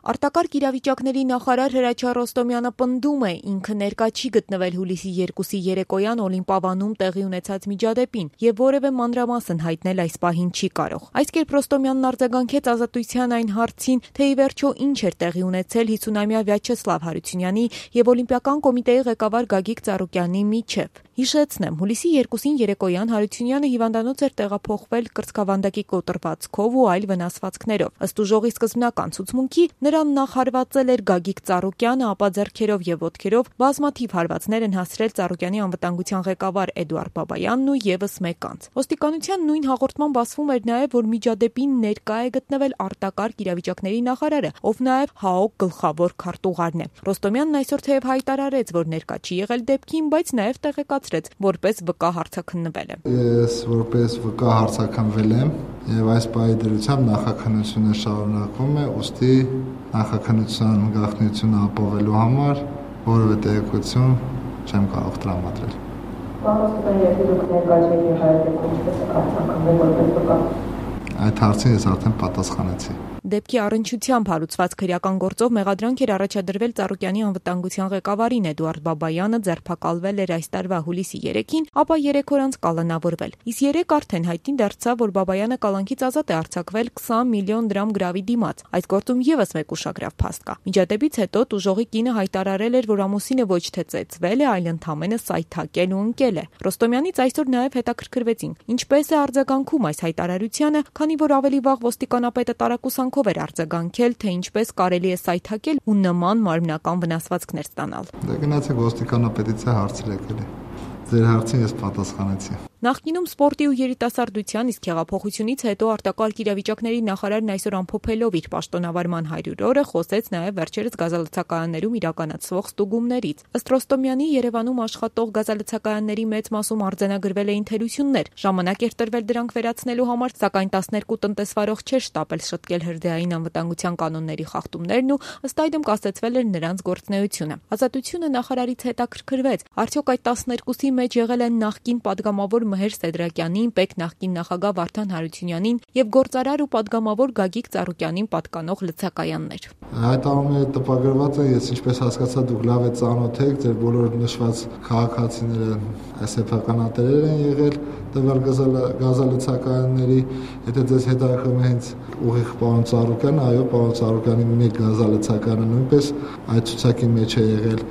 Արտակարգ իրավիճակների նախարար Հրաչյա Ռոստոմյանը պնդում է, ինքը ներկա չի գտնվել հուլիսի 2-ի երեկոյան Օլիմպիավանում տեղի ունեցած միջադեպին եւ որևէ մանրամասն հայտնել այս պահին չի կարող։ Այս կերպ Ռոստոմյանն արձագանքեց Ազատության այն հարցին, թե ի վերջո ինչ էր տեղի ունեցել 50-ամյա Վյաչեսլավ Հարությունյանի եւ Օլիմպիական կոմիտեի ղեկավար Գագիկ Ծառուկյանի միջև։ Հիշեցնեմ, հուլիսի 2-ին երեկոյան Հարությունյանը հիվանդանոց էր տեղափոխվել կրծքավանդակի կոտրվածքով ու այլ վնասվածքներով։ Ըստ ուժողի սկզբնական ցուցմունքի նրան նախ հարվածել էր Գագիկ Ծառուկյանը, ապա ձեռքերով եւ ոտքերով բազմաթիվ հարվածներ են հասցրել Ծառուկյանի անվտանգության ղեկավար Էդուարդ Բաբայանն ու եւս մեկ անձ։ Ոստիկանության նույն հաղորդման ասվում էր նաեւ, որ միջադեպին ներկա է գտնվել արտակարգ իրավիճակների նախարարը, ով նաեւ ՀԱՕԿ գլխավոր քարտուղարն է։ Ռոստոմյանն այսօր թեև հայտարարեց, որ ներկա չի եղել դեպքին, բայց նաեւ տեղեկացրեց, որպես վկա հարցաքննվել է։ Ես որպես վկա հարցաքննվել եմ եւ այս պահի դրությամբ նախաքննությունը շարունակվում է, ուստի նախաքննության գաղտնիությունը ապավելու համար որևէ տեղեկություն չեմ կարող տրամադրել։ Այդ հարցին ես արդեն պատասխանեցի։ Դեպքի առնչությամբ հարուցված քրեական գործով մեղադրանք էր առաջադրվել Ծառուկյանի անվտանգության ղեկավարին Էդուարդ Բաբայանը ձերբակալվել էր այս տարվա հուլիսի 3-ին, ապա 3 օր անց կալանավորվել։ Իսկ 3 արդեն հայտնի դարձավ, որ Բաբայանը կալանքից ազատ է արձակվել 20 միլիոն դրամ գրավի դիմաց։ Այս գործում եւս մեկ ուշագրավ փաստ կա։ Միջադեպից հետո տուժողի կինը հայտարարել էր, որ ամուսինը ոչ թե ծեծվել է, այլ ընդամենը սայթակել ու ընկել է։ Ռոստոմյանից այսօր նաեւ հետաքրքրվեցինք, ինչպես է արձագանքում այս հայտարարությանը, քանի որ ավելի վաղ ոստիկանապետը տարակուսանքով էր արձագանքել, թե ինչպես կարելի է սայթակել ու նման մարմնական վնասվածքներ ստանալ։ Դե գնացեք ոստիկանապետից հարցրեք էլի։ Ձեր հարցին ես պատասխանեցի։ Նախկինում սպորտի ու երիտասարդության, իսկ հեղափոխությունից հետո արտակարգ իրավիճակների նախարարն այսօր ամփոփելով իր պաշտոնավարման 100 օրը խոսեց նաև վերջերս գազալցակայաններում իրականացվող ստուգումներից։ Ըստ Ռոստոմյանի Երևանում աշխատող գազալցակայանների մեծ մասում արձանագրվել էին թերություններ։ Ժամանակ էր տրվել դրանք վերացնելու համար, սակայն 12 տնտեսվարող չէր շտապել շտկել հրդեհային անվտանգության կանոնների խախտումներն ու ըստ այդմ կասեցվել էր նրանց գործունեությունը։ Ազատությունը նախարարից հետաքրքրվեց, արդյոք այդ 12-ի մեջ եղել են նախկին падգամավոր Մհեր Սեդրակյանին, ՊԵԿ նախկին նախագահ Վարդան Հարությունյանին եւ գործարար ու падգամավոր Գագիկ Ծառուկյանին պատկանող լցակայաններ։ Հայտարարումները տպագրված են, ես ինչպես հասկացա, դուք լավ եք ծանոթ եք, ձեր բոլոր նշված քաղաքացիները սեփականատերեր են եղել տվյալ գազալցակայանների, եթե ձեզ հետաքրքրում է հենց ուղիղ պարոն Ծառուկյանը, այո, պարոն Ծառուկյանի մեկ գազալցակայանը նույնպես այդ ցուցակի մեջ է եղել,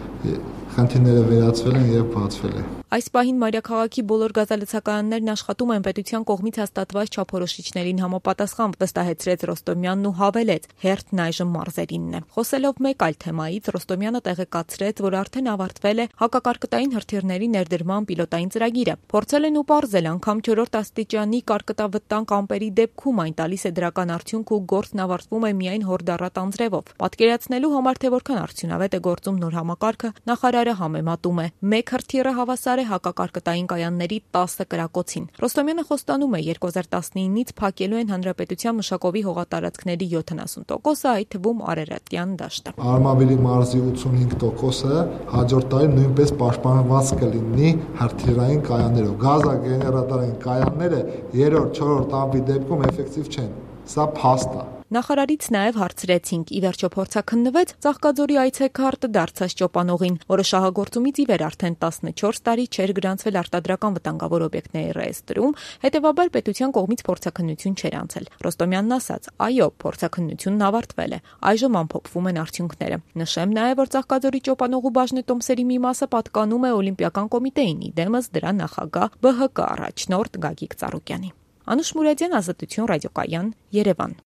խնդիրները վերացվել են եւ բացվել է։ Այս պահին մայրաքաղաքի բոլոր գազալցակայաններն աշխատում են պետության կողմից հաստատված չափորոշիչներին համապատասխան, վստահեցրեց Ռոստոմյանն ու հավելեց, հերթն այժմ մարզերինն է։ Խոսելով մեկ այլ թեմայից, Ռոստոմյանը տեղեկացրեց, որ արդեն ավարտվել է հակակարկտային հրթիռների ներդրման պիլոտային ծրագիրը։ Փորձել են ու պարզել անգամ 4-րդ աստիճանի կարկտավտանգ ամպերի դեպքում այն տալիս է դրական արդյունք ու գործն ավարտվում է միայն հորդառատ անձրևով։ Պատկերացնելու համար, թե որքան արդյունավետ է գործում նոր համակարգը, նախարարը համեմատում է. մեկ հրթիռը հավասար է հակակարկտային կայանների 10 կրակոցին։ Ռոստոմյանը խոստանում է 2019-ից փակելու են հանրապետության մշակովի հողատարածքների 70%-ը, այդ թվում Արարատյան դաշտը։ Արմավիրի մարզի 85%-ը հաջորդ տարի նույնպես պաշտպանված կլինի հրթիռային կայաններով։ Գազագեներատորային կայանները 3-րդ, 4-րդ ամպի դեպքում էֆեկտիվ չեն։ Սա փաստ է։ Նախարարից նաև հարցրեցինք, ի վերջո փորձաքննվեց Ծաղկաձորի այցեքարտը դարձած Ճոպանողին, որը շահագործումից ի վեր արդեն 14 տարի չէր գրանցվել արտադրական վտանգավոր օբյեկտների ռեեստրում, հետևաբար պետության կողմից փորձաքննություն չէր անցել։ Ռոստոմյանն ասաց. այո, փորձաքննությունն ավարտվել է, այժմ ամփոփվում են արդյունքները։ Նշեմ նաև, որ Ծաղկաձորի Ճոպանողու բաժնետոմսերի մի մասը պատկանում է Օլիմպիական կոմիտեին, իդեմս դրա նախագահ ԲՀԿ առաջնորդ Գագիկ Ծառուկյանի։ Անուշ Մուրադյան, Ազատություն ռադիոկայան, Երևան։